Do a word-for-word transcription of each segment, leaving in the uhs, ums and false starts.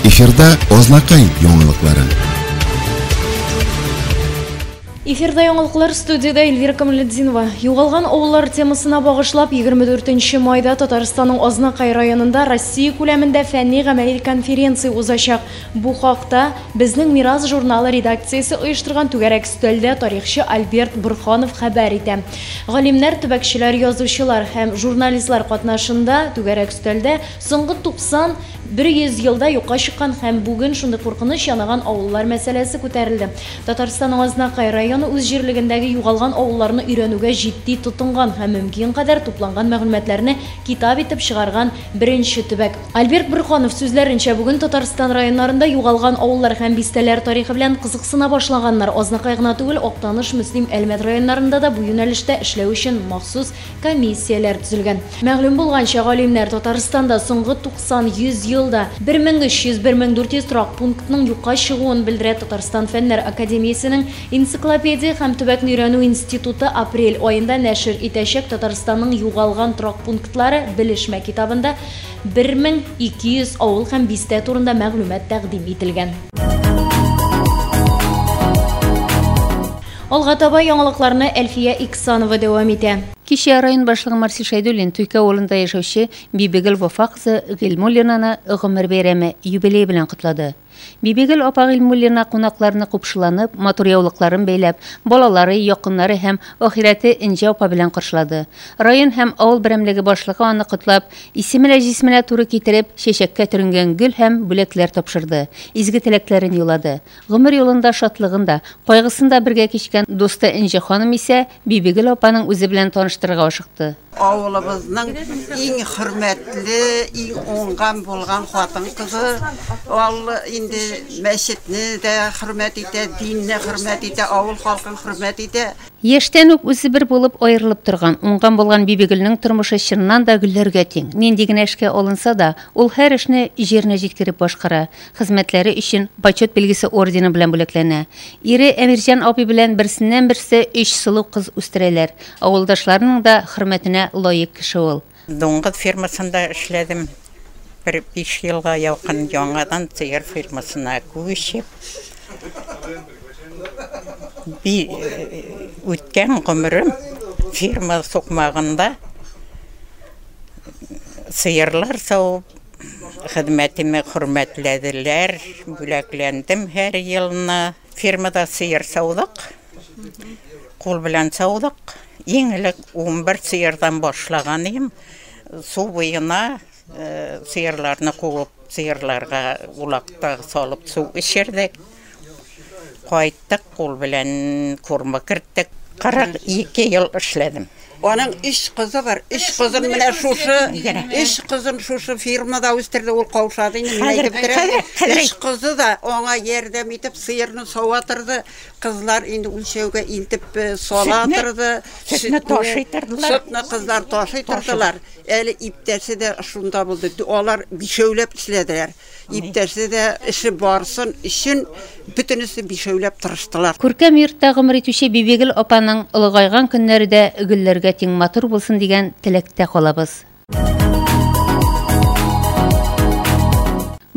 Эфирда Азнакай яңалыклары. Эфирда яңалыклар, студияда Эльвира Камалетдинова. Югалган авыллар темасына багышлап егерме дүртенче майда Татарстанның Азнакай районында Россия күләмендә фәнни гамәли конференция узачак. Бу хакта Безнең мирас журналы редакциясе оештырган түгәрәк өстәлдә тарихчы Альберт Бурханов хәбәр итә. Галимнәр, төбәкчеләр, язучылар һәм журналистлар катнашында түгәрәк өстәлдә соңгы туксан бер йөз елда юкка чыккан һәм бүген шундый куркыныч янаган авыллар мәсьәләсе күтәрелде. Татарстанның Азнакай районы үз җирлегендәге югалган авылларны өйрәнүгә җитди тотынган һәм мөмкин кадәр тупланган мәгълүматларны китап итеп чыгарган беренче төбәк. Альберт Бурханов сүзләренчә, бүген Татарстан районнарында югалган авыллар һәм бистәләр тарихы белән кызыксына башлаганнар. Азнакай гына түгел, Актаныш, Мөслим, Әлмәт районнарында да бу юнәлештә эшләү өчен махсус комиссияләр төзелгән. Мәгълүм булганча, галимнәр Татарстанда соңгы туксан йөз елда бер мең өч йөз, бер мең дүрт йөз торак пунктның юкка чыгуын белдерә. Татарстан Фәннәр Академиясенең энциклопедия һәм төбәкне өйрәнү институты апрель аенда нәшер итәчәк Татарстанның югалган торак пунктлары белешмә китабында бер мең ике йөз авыл һәм бистә турында мәгълүмат тәкъдим ителгән. Алга таба яңалыкларны Әлфия Иксанова дәвам итә. Кичә район башлыгы Марсил Шәйдуллин Туйкә авылында яшәүче Бибигөл Вафа кызы Гыйльмуллинаны гомер бәйрәме юбилей белән котлады. Бибигөл апа Гыйльмуллина кунакларны купшыланып, матур яулыкларын бәйләп, балалары, якыннары һәм ахирәте Энҗе апа белән каршылады. Район һәм авыл берәмлеге башлыгы аны котлап, исеменә җисменә туры китереп, чәчәккә төренгән гөл һәм бүләкләр тапшырды. Изге теләкләрен юллады. Гомер юлында шатлыгын да, кайгысын да бергә кичкән дусты Энҗе ханым исә Бибигөл апаның үзе белән таныштырырга ашыкты. Авылыбызның иң хөрмәтле, иң уңган булган хатын кызы. Ул инде мәчетне дә хөрмәт итә, динне хөрмәт итә, авыл халкын хөрмәт итә. Яшьтән үк үзе бер булып аерылып торган, уңган булган Бибигөлнең тормышы чыннан да гөлләргә тиң. Нинди генә эшкә алынса да, ул һәр эшне җиренә җиткереп башкара. Хезмәтләре өчен почет билгесе ордены белән бүләкләнә. Ире Әмирҗан абый белән берсеннән берсе өч сылу кыз үстерәләр. Авылдашларының да хөрмәтенә лаек кеше ул. Дуңгыз фермасында эшләдем. Бер биш елга якын яңадан сыер фермасына күчеп, үткән гомерем ферма сукмагында сыерлар савып, хезмәтемә хөрмәтләделәр, бүләкләндем һәр елны. Фермада сыер саудык, кул белән саудык. Иң элек ун бер сыердан башлаган идем. Су буена сыерларны куып, сыерларга улакта салып су эчердек. Кайттык, кул белән курма керттек. Кырык ике ел эшләдем. Аның өч кызы бар. Өч кызын менә шушы, өч кызын шушы фирмада үстерде, ул каушады инде, менә әйтеп торам. Өч кызы да аңа ярдәм итеп сыерны сава торды. Кызлар инде үлчәүгә илтеп сала торды. Сөтне ташый тордылар. Сөтне кызлар ташый тордылар. Әле иптәше дә шунда булды. Алар бишәүләп эшләделәр. Иптәше дә эше барсын өчен бөтенесе бишәүләп тырыштылар. Күркәм йортта гомер итүче Бибигөл апаның олыгайган көннәре дә гөлләргә тиң матур булсын дигән теләктә калабыз.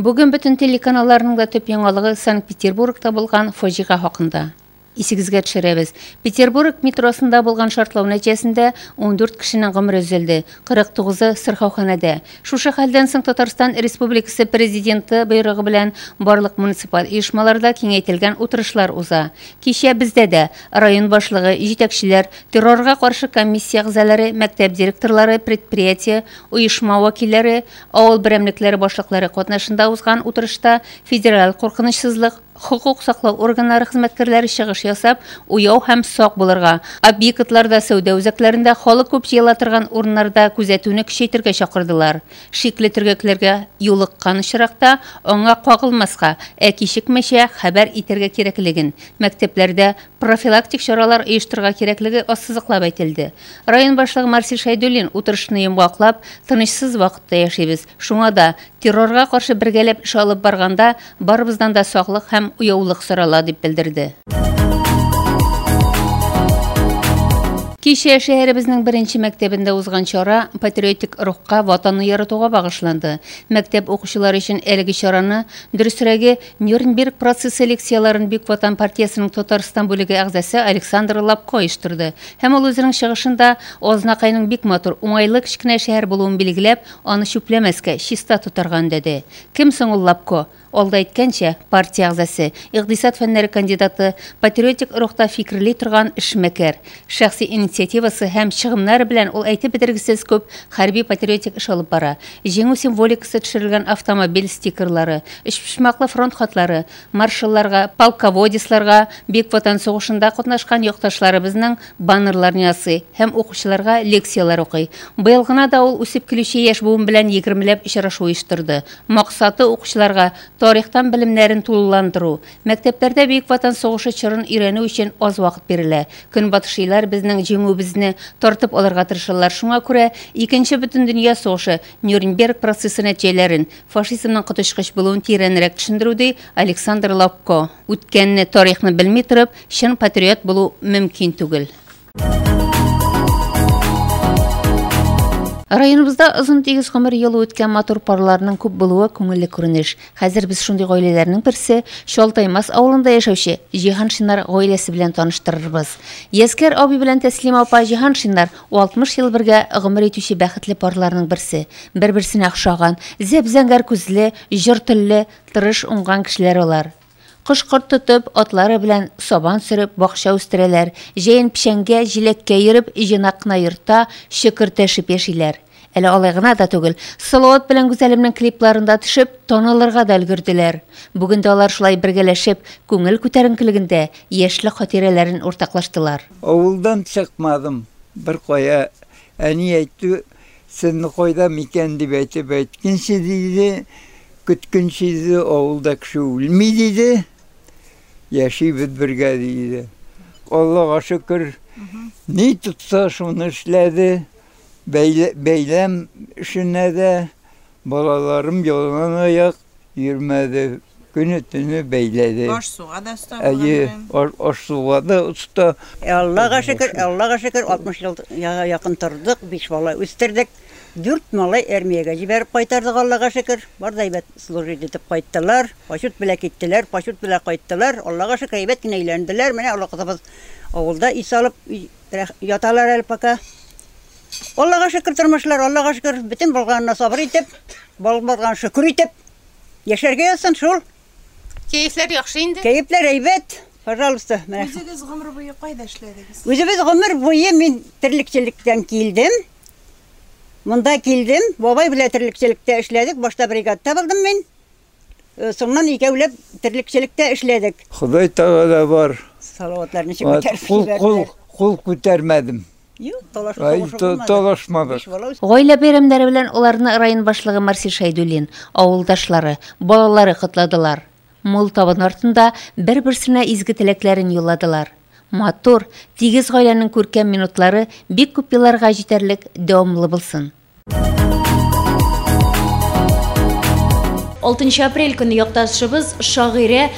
Бүген бөтен телеканалларның да төп яңалыгы Санкт-Петербургта булган фаҗига хакында. Исегезгә төшерәбез. Петербург метросында булган шартлау нәтиҗәсендә ун дүрт кешенең гомере өзелде, кырык тугызы сырхауханәдә. Шушы хәлдән соң Татарстан Республикасы Президенты боерыгы белән барлык муниципаль оешмаларда киңәйтелгән утырышлар уза. Кичә бездә дә район башлыгы, җитәкчеләр, террорга каршы комиссия әгъзалары, мәктәп директорлары, предприятие, оешма вәкилләре, авыл берәмлекләре башлыклары катнашында узган утырышта федераль куркынычсызлык, хукук саклау органнары хезмәткәрләре чыгыш ясап, уяу һәм сак булырга, объектларда, сәүдә үзәкләрендә, халык күп җыела торган урыннарда күзәтүне көчәйтергә чакырдылар. Шикле төргәкләргә юлыккан очракта аңа кагылмаска, ә кичекмәчә хәбәр итәргә кирәклеген, мәктәпләрдә профилактик чаралар оештырырга кирәклеге ассызыклап әйтелде. Район башлыгы Марсил Шәйдуллин утырышны йомгаклап, тынычсыз вакытта яшибез. Шуңа да террорга каршы бергәләп эш алып барганда барыбыздан да саклык һәм уяулык сорала дип белдерде. Кичә шәһәребезнең беренче мәктәбендә узган чара патриотик рухка, ватанны яратуга багышланды. Мәктәп укучылары өчен әлеге чараны, дөресрәге, Нюрнберг процессы лекцияларын Бөек Ватан партиясенең Татарстан бүлеге әгъзасы Александр Лапко оештырды. Һәм ул үзенең чыгышында Азнакайның бик матур, уңайлы кечкенә шәһәр булуын билгеләп, аны чүпләмәскә, чиста тотарга өндәде. Кем соң ул Лапко? Алда әйткәнчә, партия әгъзасы, икътисад фәннәре кандидаты, патриотик рухта фикерли торган эшмәкәр. Шәхси инициативасы һәм чыгымнары белән ул әйтеп бетергесез күп хәрби патриотик эш алып бара. Җиңү символикасы төшерелгән автомобиль стикерлары, өчпочмаклы фронт хатлары, маршалларга, полководецларга, Бөек Ватан сугышында катнашкан якташларыбызның баннерларын ясый һәм укучыларга лекцияләр укый. Быел гына да ул үсеп килүче яшь буын белән егермеләп очрашу оештырды. Максаты укучыларга тарихтан белемнәрен тулыландыру. Мәктәпләрдә Бөек Ватан сугышы чорын өйрәнү өчен аз вакыт бирелә. Көнбатышлылар безнең җиңүебезне тартып алырга тырышалар. Шуңа күрә Икенче бөтендөнья сугышы, Нюрнберг процессы нәтиҗәләрен, фашизмның коточкыч булуын тирәнрәк төшендерү, ди Александр Лапко. Үткәнне, тарихны белми торып, чын патриот булу мөмкин түгел. Районыбызда озын тигез гомер юлы үткән матур парларның күп булуы күңелле күренеш. Хәзер без шундый гаиләләрнең берсе Чалтаймас авылында яшәүче Җиһаншиннар гаиләсе белән таныштырырбыз. Яскәр абый белән Тәслима апа Җиһаншиннар алтмыш ел бергә гомер итүче бәхетле парларның берсе. Бер-берсенә охшаган, зәп-зәңгәр күзле, җор телле, тырыш, уңган кешеләр алар. Кош-корт тотып, атлары белән сабан сөреп, бакча үстерәләр. Җәен печәнгә, җиләккә йөреп, җыйнак кына йортта шөкертәшеп яшиләр. Әле алай гына да түгел, Салават белән Гүзәлемнең клипларында төшеп, танылырга да өлгерделәр. Бүген дә алар шулай бергәләшеп, күңел күтәренкелегендә яшьлек хатирәләрен уртаклаштылар. Авылдан чыкмадым бер кая. Әни әйтте, син кайда микән дип әйтеп әйткәнче диде, көткәнче диде, авылда кеше үлми диде. Яшибез бергә диде. Аллага шөкер, ни тотса шуны эшләде. Бәйләм эшенә дә балаларым ялан аяк йөрмәде. Көне төне бәйләде. Аш-суга да оста булган. Әйе, аш-суга да оста. Аллага шөкер, Аллага шөкер, алтмыш ел якын тордык, биш бала үстердек. Дүрт малай армиягә җибәреп кайтардык, Аллага шөкер. Бар да әйбәт служить итеп кайттылар. Пашут белән киттеләр, пашут белән кайттылар. Аллага шөкер, әйбәт кенә өйләнделәр. Менә олы кызыбыз авылда ис алып яталар әле пока. Аллага шөкер тормышлар, Аллага шөкер, бөтен булганына сабыр итеп, булган шөкер итеп яшәргә язсын шул. Кәефләр яхшы инде. Кәефләр әйбәт. Пожалуйста, менә. Үзегез гомер буе кайда эшләдегез? Үзебез гомер буе мин терлекчелектән килдем. Монда килдем, бабай белән терлекчелектә эшләдек. Башта бригадта булдым мин. Соңыннан икәүләп терлекчелектә эшләдек. Ходай Тәгалә бар. Салаватлар ничек күтәреп Кул кул кул күтәрмәдем. Юк, талашмадык. Гаилә бәйрәмнәре белән аларны район башлыгы Марсил Шәйдуллин, авылдашлары, балалары котладылар. Мул табын артында бер-берсенә изге теләкләрен юлладылар. Матур, тигез гаиләнең күркәм минутлары бик күп елларга җитәрлек дәвамлы булсын. алтынчы апрель көне якташыбыз шагыйрә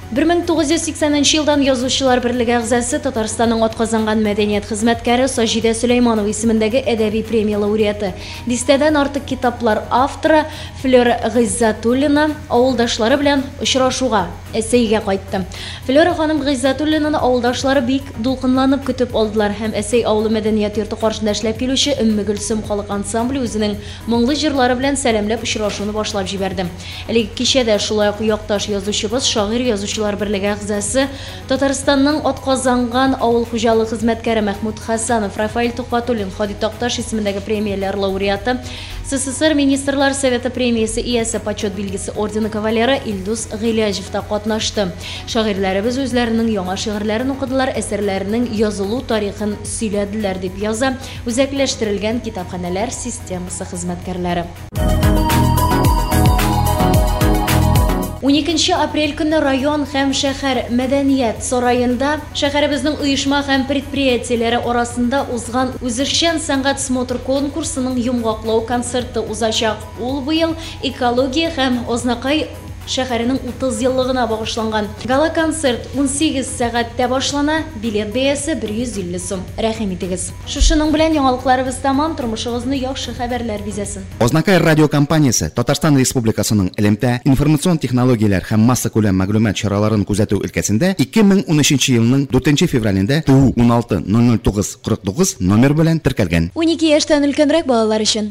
бер мең тугыз йөз сиксәненче елдан Язучылар берлеге әгъзасы, Татарстанның атказанган мәдәният хезмәткәре Саҗидә Сөләйманова исемендәге әдәби премия лауреаты, дистәдән артык китаплар авторы Флера Гыйззатуллина авылдашлары белән очрашуга Әсәйгә кайтты. Флера ханым Гыйззатуллинаны авылдашлары бик дулкынланып көтеп алдылар һәм Әсәй авылы мәдәният йорты каршында эшләп килүче Өмме Гөлсем халык ансамбле үзенең моңлы җырлары белән сәламләп очрашуны башлап җибәрде. Әлеге кичәдә шулай ук якташ язучыбыз, шагыйрь язучылар берлеге әгъзасы, Татарстанның атказанган авыл хуҗалыгы хезмәткәре Мәхмүт Хасанов, Рафаэль Тухватуллин, Һади Такташ исемендәге премияләр лауреаты, СССР Министрлар Советы премиясе иясе, почет билгесе ордены кавалеры Илдус Гыйләҗев та катнашты. Шагыйрьләребез үзләренең яңа шигырьләрен укыдылар, әсәрләренең язылу тарихын сөйләделәр, дип яза үзәкләштерелгән китапханәләр системасы хезмәткәрләре. уникенче апрель көне район һәм шәһәр мәдәният сараенда шәһәребезнең оешма һәм предприятиеләре арасында узган үзешчән сәнгать смотр конкурсының йомгаклау концерты узачак. Ул быел экология һәм Азнакай шәһәренең утыз еллыгына багышланган. Гала-концерт унсигез сәгатьтә башлана, билет бәясе бер йөз илле сум. Рәхим итегез. Шушының белән яңалыкларыбыз тәмам, тормышыгызны яхшы хәбәрләр бизәсен. Азнакай радио компаниясе Татарстан Республикасының элемтә, информацион технологияләр һәм массакүләм мәгълүмат чараларын күзәтү өлкәсендә ике мең унөченче елның дүртенче февралендә Т У уналты ноль ноль тугыз кырык тугыз номер белән теркәлгән. Унике яшьтән өлкәнрәк балалар өчен.